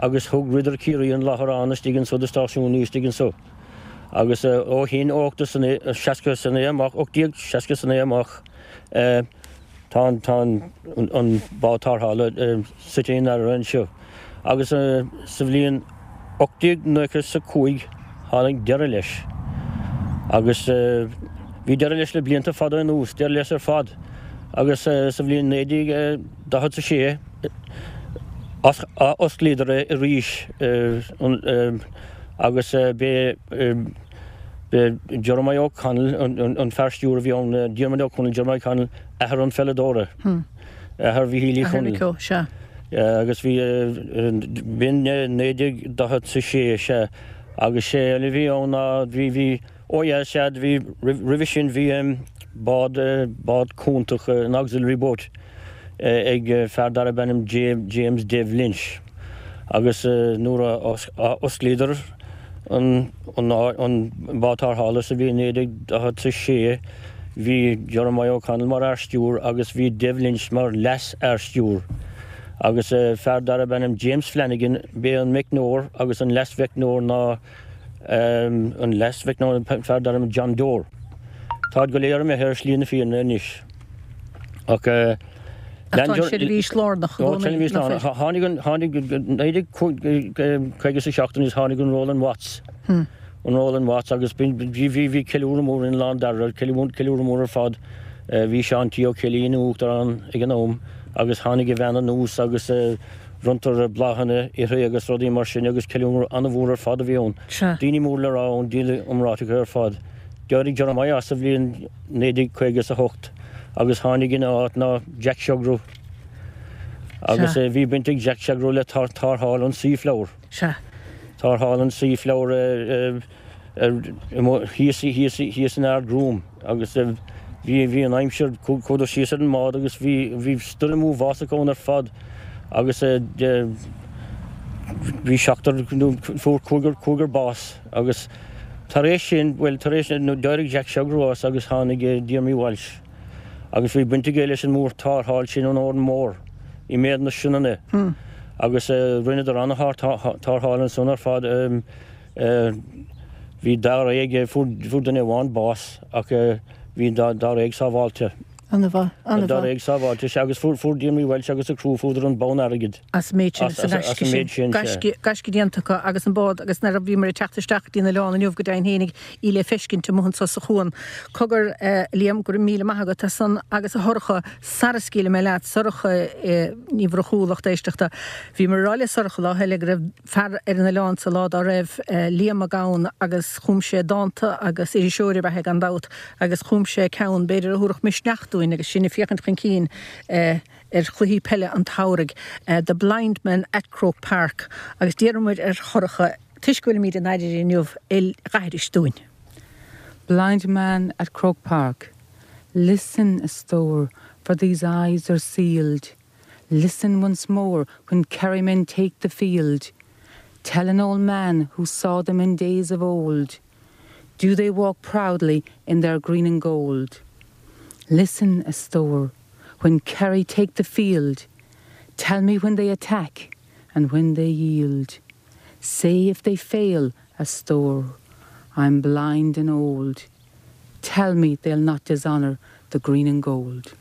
agus thug Rider Ciarraí an láithreán istigh anso do stáisiún nua istigh anso. Agus ó shin ocht seasca is a naoi amach ocht déag seasca is a naoi amach tá tá an bád tarrthála suite i nDairbhre anseo. Agus sa bhliain ocht déag nócha is a cúig tháinig deireadh leis. Agus bhí deireadh leis le blianta fada anuas, deireadh leis ar fad. Agus sa bhliain naoi déag daichead a sé osclaíodar é arís agus b'é Jeremiah O'Connell an fear stiúir a bhí ann, Diarmuid O'Connell, Jeremiah O'Connell, athair an pheileadóra. Athair Mhichíl Uí Chonaill. Sea. Agus bhí b'in naoi déag daichead is a sé, sea. Agus sé eile a bhí ann ná bhí, bhí, ó yeah, sea, bhí, roimhe sin bhí bád, bád cúntach, an auxiliary boat, ag fear darb ainm James Dev Lynch. Agus nuair a osclaíodar an bád tarrthála sa bhliain naoi déag daichead is a sé, bhí Jeremiah O'Connell mar fhear stiúir agus bhí Dev Lynch mar leas-fhear stiúir. Agus fear darb ainm James Flanagan, b'é an meicneoir agus an leas-mheicneoir ná an leas-mheicneoir fear darb ainm John Dore. Táid go léir imithe ar shlí na fírinne anois. Ach Ach tá an tseirbhís lárnach i gcónaí, nach bhfuil? Tháinig an, tháinig, naoi déag caoga is a seacht aníos tháinig an Roland Watts, an Roland Watts agus bhí, bhí, bhí ceiliúradh mór in Oileán Dairbhre, ceiliúradh mór ar fad. Bhí Seán T. Ó Ceallaigh ina uachtarán ag an am agus tháinig a bhean anuas agus bronntar bláthanna uirthi agus rudaí mar sin agus ceiliúradh an-mhór ar fad a bhí ann. Daoine mór le rá ann, daoine iomráiteacha ar fad. D'éirigh Jeremiah as sa bhliain naoi déag caoga is a hocht agus tháinig ina áit ná Jack Sugrue. Agus bhí baint ag Jack Sugrue le tarrtháil an Seaflower. Tarrtháil an Seaflower thíos, thíos, thíos in Ard Gruaim agus bhí, bhí an aimsir, chuadar síos ar an mbád agus bhí, bhí stoirm uafásach ann ar fad agus bhí seachtar, fuair cúigear, cúigear bás agus tar éis sin, bhuel, tar éis, d'éirigh Jack Sugrue as agus tháinig Diarmaid Walsh agus bhí baint aige leis an mór-tarrtháil sin ón Órán Mór i mbéal na Sionainne agus rinneadar an-tarrtháil ansan ar fad. Bhí dáréag, fuair duine amháin bás ach bhí dáréag sábháilte. An-mhaith, an-mhaith. Dáréag sábháilte, sea, agus fuair Diarmaid Walsh agus a chriú fuadar an bonn airgid. As an méid sin, as an gaisce sin. Gaisce, gaisce déanta acu agus an bád agus nuair a bhíomar ag teacht isteach go dtí an oileán inniu go deimhin fhéinig í le feiscint amuigh anso sa chuan. Cogar, a Liam, go raibh míle maith agat as san agus a Shorcha, sara scaoilfidh mé leat, Sorcha Ní Mhurchú, lucht éisteachta. Bhíomar ag rá le Sorcha lá eile go raibh fear ar an oileán sa lá dá raibh Liam Mac Gabhann agus chum sé dánta agus iriseoir ab ea é gan dabht agus chum sé ceann b'fhéidir a thabharfadh misneach dúinn agus sinn ag féachaint chun cinn ar chluichí peile an tsamhraidh, The Blind Man at Croke Park agus d'iarr muid ar Shorcha toisc go bhfuilimid in Oirire inniu é dh'aithris dúinn. Blind Man at Croke Park Listen, a stór, for these eyes are sealed Listen once more when Kerrymen take the field Tell an old man who saw them in days of old Do they walk proudly in their green and gold Listen, a stór, when Kerry take the field Tell me when they attack and when they yield Say if they fail, a stór, I'm blind and old Tell me they'll not dishonour the green and gold.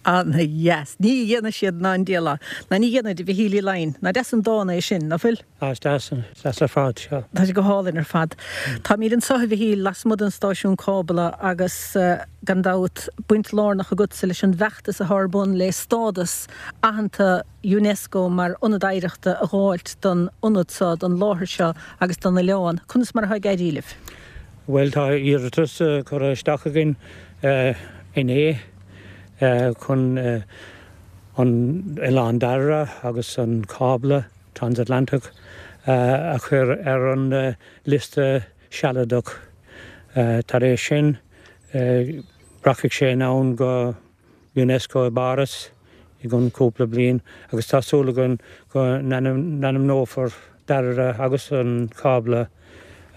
Ana-dheas. Ní dhéanfaidh siad ná an diabhal lá. Ná ní dhéanfaidh a Mhichíl Uí Laighin. Nach deas an dán é sin, nach bhfuil? Tá, is deas, is deas ar fad, sea. Tá sé go hálainn ar fad. Táimid anseo, a Mhichíl, lasmuigh den stáisiún cábla agus gan dabht baint lárnach agatsa leis an bhfeachtas atá ar bun le stádas aitheanta Unesco mar ionad oidhreachta a dh'fháilt don ionad seo, don láthair seo agus don oileán. Conas mar atá ag éirí libh? Bhuel, tá iarratas curtha isteach againn inné chun an Oileán Dairbhre agus an cábla Transatlantach a chur ar an liosta sealadach. Tar éis sin, rachaidh sé anonn go Unesco i bPáras i gcionn cúpla bliain agus tá súil againn go n-ainmneofar Dairbhre agus an cábla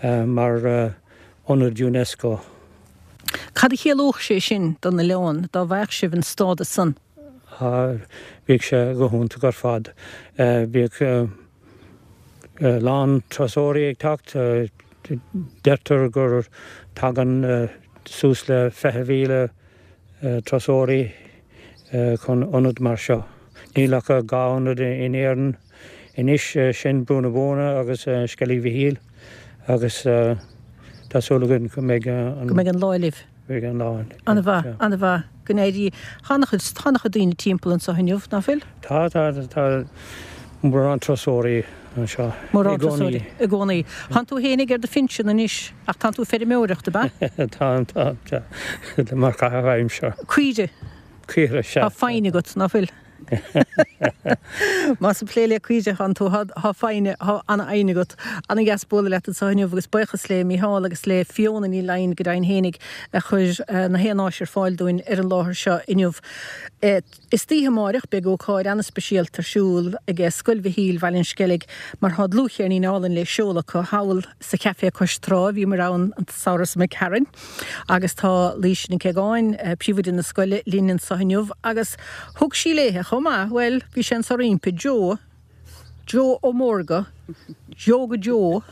mar ionad Unesco. Cad a chiallódh sé sin don oileán dá bhfaigheadh sibh an stádas san? Bheadh sé go hiontach ar fad. Bheadh a lán turasóirí ag teacht. Deirtear gur tagann suas le fiche mhíle turasóirí chun ionad mar seo. Níl ach dhá ionad in Éirinn anois, sin Brú na Bóinne agus Sceilg Mhichíl agus tá súil againn go mbeidh an. Go mbeidh an lá libh. Beidh an lá linn. An-mhaith, an-mhaith. Go n-éirí. Tá an-chuid, tá an-chuid daoine timpeall anseo inniu, ná fuil? Tá, tá, tá mórán turasóirí anseo. Mórán turasóirí i gcónaí. Tánn tú fhéinig ar do phinsean anois ach tánn tú ag feirmeoireacht, ab ea? Táim, táim, tá. Mar chaitheamh aimsire. Caoirigh. Caoirigh, sea. Tá foighne agat, ná fuil? Más ag plé le caoirigh atánn tú, tá foighne, tá an-fhoighne agat. An-dheas bualadh leat anseo inniu agus buíochas le Mícheál agus le Fiona Ní Laighin go deimhin fhéinig a chuir na haon áis ar fáil dúinn ar an láthair seo inniu. Istoíche amáireach beidh ócáid an-speisialta ar siúl ag Scoil Mhichíl, Bhaile an Sceilg, mar tá dlúthcheirnín álainn le seoladh acu thall sa chafé cois trá. Bhíomar ann an samhradh seo imigh tharainn agus tá Laoise Nic Aogáin, príomhoide na scoile, linn anseo inniu agus thug sí léithe chomh maith, bhuel, bhí sé anso roimpi, Joe, Joe Ó Mórdha, Yoga Joe.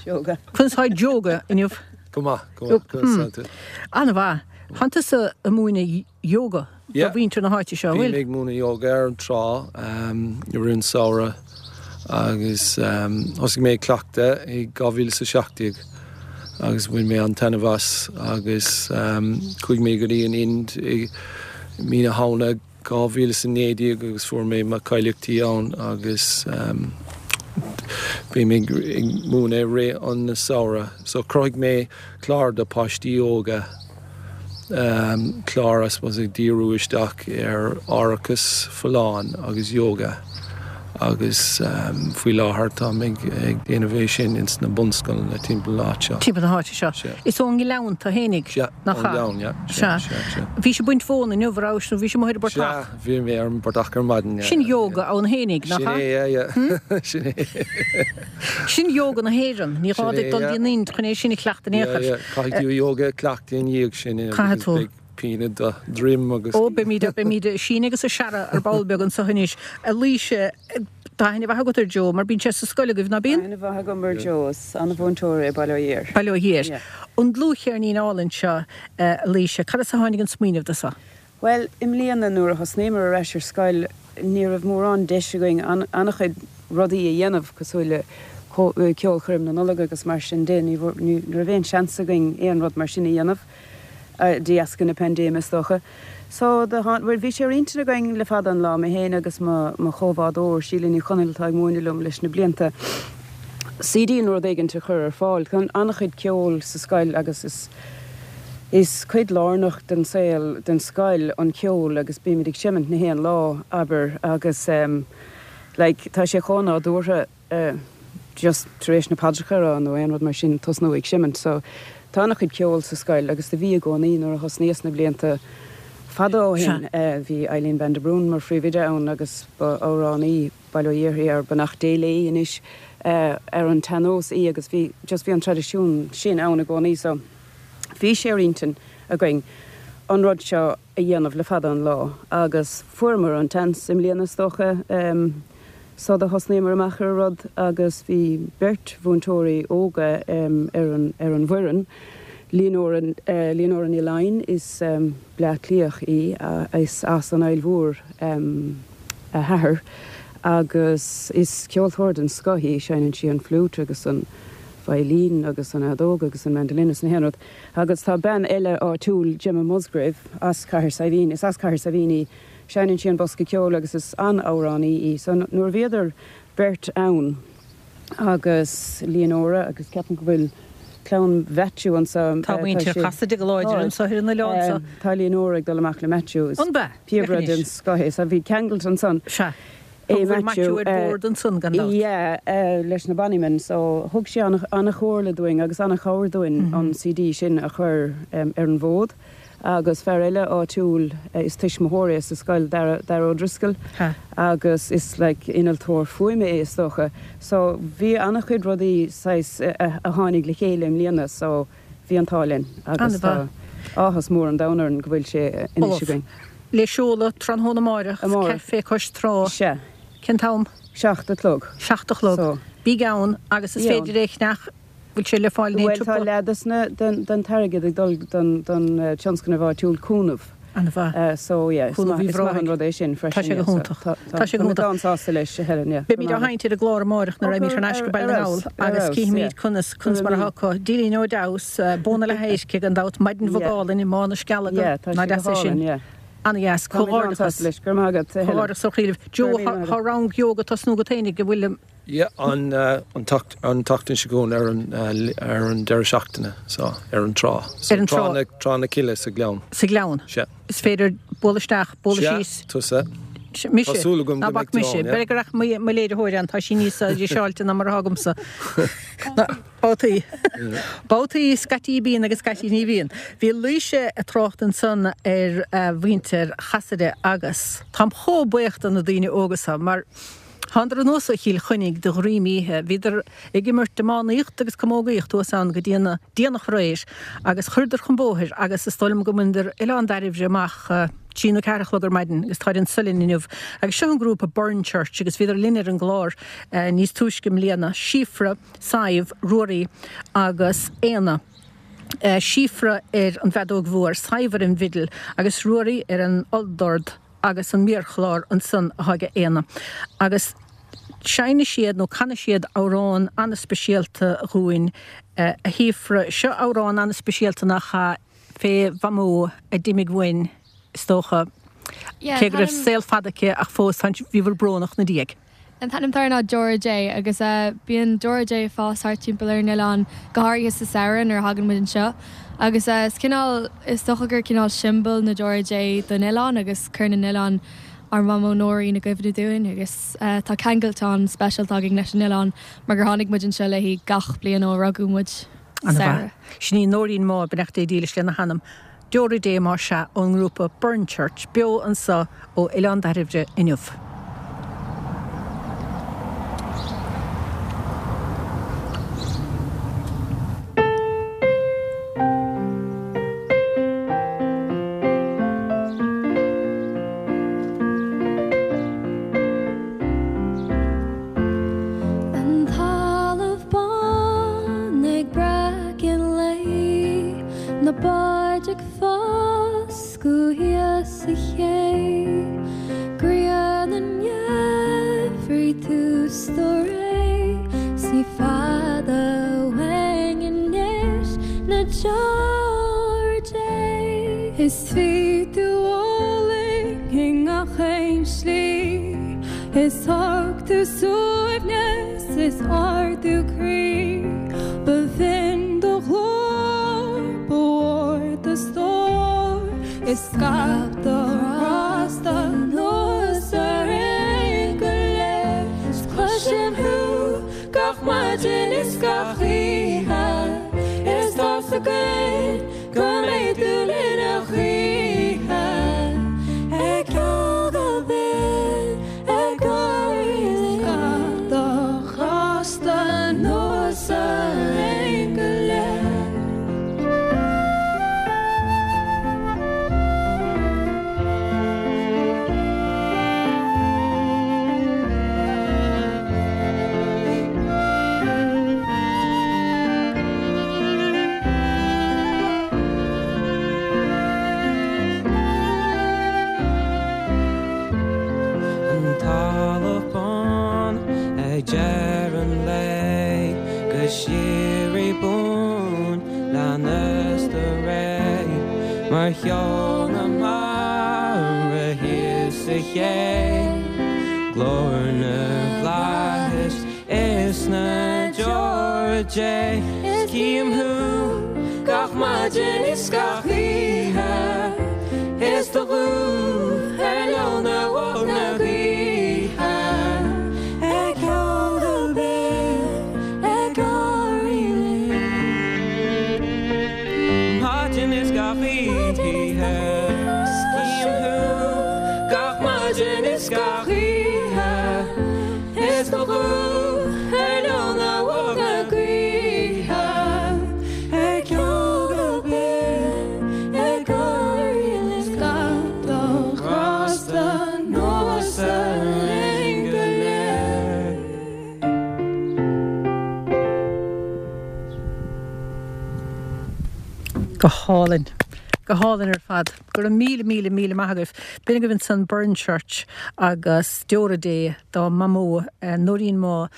Yoga. Conas tá Yoga inniu? Go maith, go maith, conas tá tú? An-mhaith. Tánn tusa ag múineadh yoga do mhuintir na háite seo, an bhfuil? Bím ag múineadh yoga ar an trá i rith an samhradh agus thosaigh mé ag cleachtadh i dhá mhíle is a seacht déag agus bhain mé an-taitneamh as agus chuaigh mé go dtí an Ind i mí na Shamhna dhá mhíle is a naoi déag agus fuair mé mo cháilíochtaí ann agus bím ag múineadh i rith an samhradh. So chruthaigh mé clár do páistí óga, clár I suppose ag díriú isteach ar aireachas folláin agus yoga agus faoi láthair táim ag déanamh é sin ins na bunscoileanna timpeall na háite seo. Timpeall na háite seo. Sea. Is ón nGleann tú fhéinig, Sea, nach ón ea? nGleann, yeah. Sea. Sea, sea, sea. Bhís ag baint mhóna inniu, an rabhais, nó bhís amuigh ar an bportach? Sea, bhí mé ar an bportach ar maidin, yeah. Sin yoga ann fhéinig, nach Sin ea? é, yeah, yeah. Sin é. Sin yoga na hÉireann. Ní gá Sin duit é, dul yeah. dtí an Ind chun é sin a chleachtadh in aon Yeah, chor. yeah. Caithfidh tú yoga a chleachtadh ina dhiaidh sin, yeah, Caithfidh because tú. beidh pian i do dhroim agus. Ó, beimid, beimid ag síneadh agus ag searradh ar ball beag anseo anois. A Laoise, tá aithne mhaith agat ar Joe, mar bíonn sé sa scoil agaibh, ná bíonn? Aithne mhaith agam ar Joe, is an-mhúinteoir é Baile Ó Dhéir. Baile Ó Dhéir. Yeah. An dlúthcheirnín álainn seo, a Laoise, cad as a tháinig an smaoineamh do seo? Bhuel, i mbliana nuair a thosnaíomar ar ais ar scoil, ní raibh mórán deis againn an-chuid rudaí a dhéanamh, cosúil le ceolchoirm na Nollag agus mar sin de, ní raibh aon seans againn aon rud mar sin a dhéanamh. de dheasca na paindéime is dócha. So do tháin, bhuel bhí sé ar intinn againn le fada an lá, mé féin agus mo, mo chomhbhádóir, Síle Ní Chonaill atá ag múineadh liom leis na blianta, CD nó rud éigint a chur ar fáil. Tá an-chuid ceoil sa scoil agus is, is cuid lárnach den saol, den scoil an ceol agus bímid ag seimint na haon lá, abair, agus em like tá sé chomh nádúrtha eh just tar éis na paidreacha a rá nó aon rud mar sin tosnú ag seimint. So Tá an-chuid ceoil sa scoil agus do bhí i gcónaí nuair a thosnaíos na blianta fada ó shin. Bhí Eileen Van de Brún mar phríomhoide ann agus ba amhránaí Baile Ó Dhéir í, ar beannacht Dé léi anois, ar an tsean-nós í agus bhí just bhí an traidisiún sin ann i gcónaí so bhí sé ar intinn againn an rud seo a dhéanamh le fada an lá agus fuaireamar an tseans i mbliana is dócha. So do thosnaíomar amach ar an rud agus bhí beirt mhúinteoirí óga ar an ar an bhfoireann, Leonora Leonora Ní Laighin, is Bleá Cliathach í, is as an Aill Mhór a hathair agus is ceoltóir den scoth í, seinneann sí an fliúit agus an veidhlín agus an fheadóg agus an mandolin is na haon rud. Agus tá bean eile áitiúil, Gemma Musgrave, as Cathair Saidhbhín, is as Cathair Saidhbhín í, Seinneann sí an bosca ceoil agus is an-amhránaí í. So nuair a bhíodar beirt ann agus Leonora agus ceapaim go bhfuil clann Mhaitiú anso, Tá muintir Chasaide go láidir anso ar an oileán seo. Tá Leonora ag dul amach le Maitiú. An b'ea? Píobaire den scoth é. So bhí ceangailt ansan. Sea. É Bhfuil Maitiú ar bord ansan gan dabht. Yeah, leis na Bonnymen. So thug sí an-chomhairle dúinn agus an-chabhair dúinn an CD sin a chur ar an bhfód. Agus fear eile áitiúil, is tuismitheoir é sa scoil, Dara, Dara O'Driscoll, agus is like innealtóir fuaime é is dócha. So bhí an-chuid rudaí saghas a tháinig le chéile i mbliana so bhí an t-ádh linn agus tá áthas mór an domhain orainn go bhfuil sé anois againn. Le seoladh tráthnóna amárach, Amárach. Café Cois Trá. Sea. Cén t-am? Seacht a chlog. Seacht a chlog. So. Bígí ann agus is Bí ann. féidir é a cheannach. Bhfuil sé le fáil in aon Bhuel, tá siopa? leath des na, den, den t-airgead ag dul don, don tionscnamh áitiúil Cúnamh. An-mhaith. So, yeah, is Cúnamh maith, Uíbh is maith an Ráthaigh. rud é sin Tá freisin, sé go yeah, so hiontach. tá, tá, Tá sé go tá mé hiontach. an-sásta leis, a Helen, yeah. Beimid á sheinnt ar an gclár amárach nuair a raghaimid thar n-ais go Baile na nGall agus cífimid conas, conas mar atá acu. Dílín Ó Deamhas, Bó na Leathéisce gan dabht, maidin bhog Yeah. álainn i mBá na Scealaga. Yeah, tá Ná sé go deas é sin. hálainn, yeah. Ana-dheas. Comhghairdeachas. Leis go maith agat. Comhghairdeachas ó chroí libh. Joe, tá rang ióga ag tosnú agat fhéinig, an bhfuil? Yeah, an an tseachtain seo chugainn ar an ar an deireadh seachtaine, so ar an trá. So ar an trá. Trá na, Trá na Cille sa Ghleann. Sa Ghleann. Sea. Is féidir bualadh isteach, bualadh síos. Sea, tusa. Mise. Tá súil agam Ná go bac mbeidh tú mise. ann, yeah. B'fhéidir go rachaidh mo mo léiritheoir ann, tá sí níos díseáilte ná mar atá agamsa. Babhtaí. Babhtaí scaití bíonn agus scaití ní bhíonn. Bhí Laoise ag trácht ansan ar mhuintir Chasaide agus táim chomh buíoch do na daoine óga seo mar thánadar anuas ó Chill Chainnigh de dhroim oíche. Bhíodar ag imirt iománaíocht agus camógaíocht thuas ann go dtí an déanach aréir agus chuireadar chun bóthair agus is dóigh liom go mbaineadar Oileán Dairbhre amach trí nó ceathair a chlog ar maidin agus táid anso linn inniu. Agus seo an grúpa Burren Church agus bhíodar linn ar an gclár níos túisce i mbliana, Síofra, Sadhbh, Ruairí agus Éanna. Síofra ar an bhfeadóg mhór, Sadhbh ar an bhfidil agus Ruairí ar an olldord agus an méarchlár ansan atá ag Éanna. Agus seinnfidh siad nó canfaidh siad amhrán an-speisialta dhúinn, a Shíofra. Seo amhrán an-speisialta nach ea, fé Mhamó a d'imigh uainn, is dócha. Yeah, Cé go raibh an t-ainm- saol fada aici ach fós tá, bhíobhair brónach 'na diaidh. An t-ainm atá air ná Deora Dé agus bíonn Deora Dé ag fás thart timpeall ar an oileán, go háirithe sa samhradh nuair a thagann muid anseo. Agus is cineál, is dócha gur cineál siombail na Deora Dé don oileán agus cuireann an oileán ár Mamó Nóirín i gcuimhne dúinn agus tá ceangaltán speisialta againn leis an oileán mar gur tháinig muid anseo léi gach bliain ó rugadh muid sa Ana-mhaith. samhradh. Sin í Nóirín Má, beannacht Dé dílis lena hanam. Deora Dé más ea ón ngrúpa Burren Church, beo anseo ó Oileán Dairbhre inniu. An talamh bán ag breacadh an lae, na báid ag foscadh thíos sa ché, grian an gheimhridh tús do ré, 's ní fada uainn anois na deora Dé. Is bhí tú álainn i ngach aon slí, is thug tú suaimhneas is ardú croí, ba bhinn do ghlór, ba mhór do stór, is scaip do ghrásta anuas orainn go léir. Is cloisim thú gach maidin is gach oíche, is tá's againn go mbeidh tú linn a choíche. Ag ceol go binn, ag gáirí linn, scaip do ghrásta anuas orainn go léir. An talamh bán ag deireadh an lae, go síoraí buan leanas do ré, mar cheol na mara thíos sa ché, glór na bhflaitheas is na deora Dé. Is cím thú gach maidin is gach oíche, is do ghuth ar leonadh na gaoithe. Ag ceol go binn, ag gáirí linn. Maidin is gach oíche, is cím thú gach maidin is gach oíche, is do ghuth ar leonadh na gaoithe. Ag ceol go binn, ag gáirí linn, scaip do ghrásta anuas orainn go léir. Go hálainn. Go hálainn ar fad. Go raibh míle míle míle maith agaibh. B'in agaibh ansan Burren Church agus Deora Dé dá Mamó Nóirín Má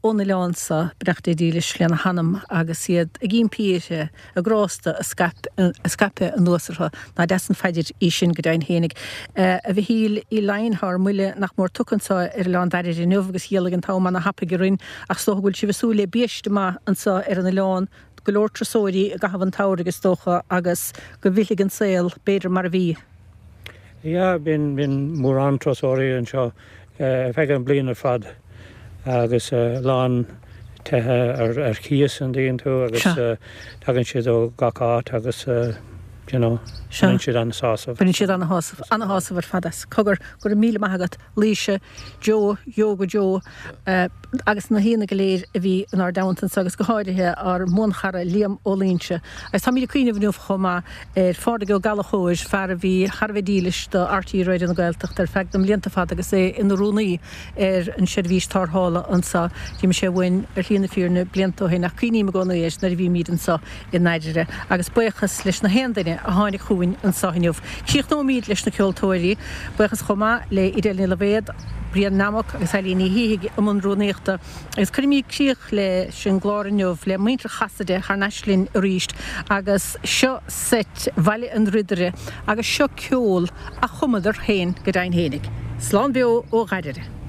ón oileán seo, beannacht Dé dílis lena hanam, agus iad ag impí uirthi a grásta a scaipeadh anuas orthu. Nach deas an phaidir í sin go deimhin fhéinig. A Mhichíl Uí Laighin, tá ár mbuille nach mór tugtha anseo ar Oileán Dairbhre inniu agus dhealaigh an t-am ana-thapaidh orainn ach is dócha go bhfuil sibh ag súil le biaiste maith anseo ar an oileán, go leor turasóirí i gcaitheamh an tsamhraidh is dócha agus go bhfillfidh an saol b'fhéidir mar a bhí. Yeah, bíonn bíonn mórán turasóirí anseo ar feadh an bliain ar fad agus a lán tithe ar ar cíos an dtuigeann tú agus tagann siad ó gach áit agus you know baineann siad an-sásamh. Baineann siad an-shásamh, an-shásamh ar fad as. Cogar, go raibh míle maith agat, Laoise, Joe, Yoga Joe agus na haíonna go léir a bhí inár dteannta anseo agus go háirithe ár mbuanchara Liam Ó Loingsigh. Agus táimid ag cuimhneamh inniu chomh maith ar Phádraig Ó Gallchóir, fear a bhí thar a bheith dílis do RTÉ Raidió na Gaeltachta ar feadh na mblianta fada agus é ina rúnaí ar an seirbhís tarrthála anseo. D'imigh sé uainn ar shlí na fírinne blianta ó shin ach cuimhním i gcónaí air nuair a bhímid anseo i nDairire. Agus buíochas leis na haon duine a tháinig chugainn anseo inniu. Críochnóimid leis na ceoltóirí. Buíochas chomh maith le Edel Ní Loibhéad, Brian Nammock agus Eileen Ní Shíthigh i mbun rúnaíochta. Agus cuirimid críoch leis an gclár inniu le muintir Chasaide thar n-ais linn arís agus seo seit Bhaile an Ridire agus seo ceol a chumadar féin go deimhin fhéinig. Slán beo ó Dhairbhre.